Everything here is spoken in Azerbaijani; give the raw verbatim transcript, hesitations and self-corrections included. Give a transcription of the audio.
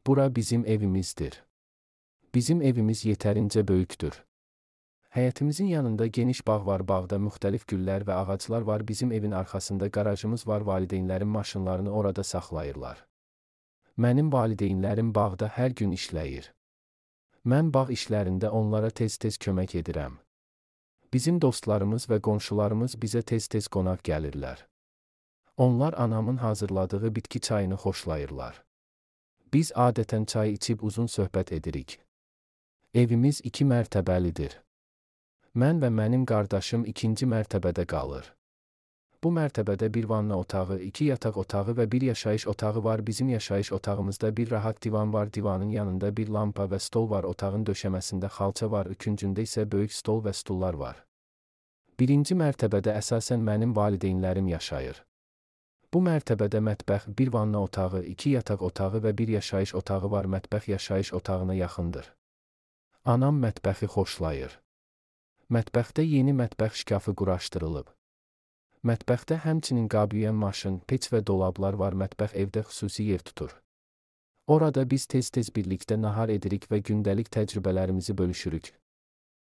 Bura bizim evimizdir. Bizim evimiz yetərincə böyükdür. Həyətimizin yanında geniş bağ var, bağda müxtəlif güllər və ağaclar var. Bizim evin arxasında qarajımız var, valideynlərim maşınlarını orada saxlayırlar. Mənim valideynlərim bağda hər gün işləyir. Mən bağ işlərində onlara tez-tez kömək edirəm. Bizim dostlarımız və qonşularımız bizə tez-tez qonaq gəlirlər. Onlar anamın hazırladığı bitki çayını xoşlayırlar. Biz adətən çay içib uzun söhbət edirik. Evimiz iki mərtəbəlidir. Mən və mənim qardaşım ikinci mərtəbədə qalır. Bu mərtəbədə bir vanna otağı, iki yataq otağı və bir yaşayış otağı var. Bizim yaşayış otağımızda bir rahat divan var. Divanın yanında bir lampa və stol var. Otağın döşəməsində xalça var. Üçüncündə isə böyük stol və stullar var. Birinci mərtəbədə əsasən mənim valideynlərim yaşayır. Bu mərtəbədə mətbəx, bir vanna otağı, iki yataq otağı və bir yaşayış otağı var. Mətbəx yaşayış otağına yaxındır. Anam mətbəxi xoşlayır. Mətbəxdə yeni mətbəx şkafı quraşdırılıb. Mətbəxdə həmçinin qab yuyan maşın, peç və dolablar var. Mətbəx evdə xüsusi yer tutur. Orada biz tez-tez birlikdə nahar edirik və gündəlik təcrübələrimizi bölüşürük.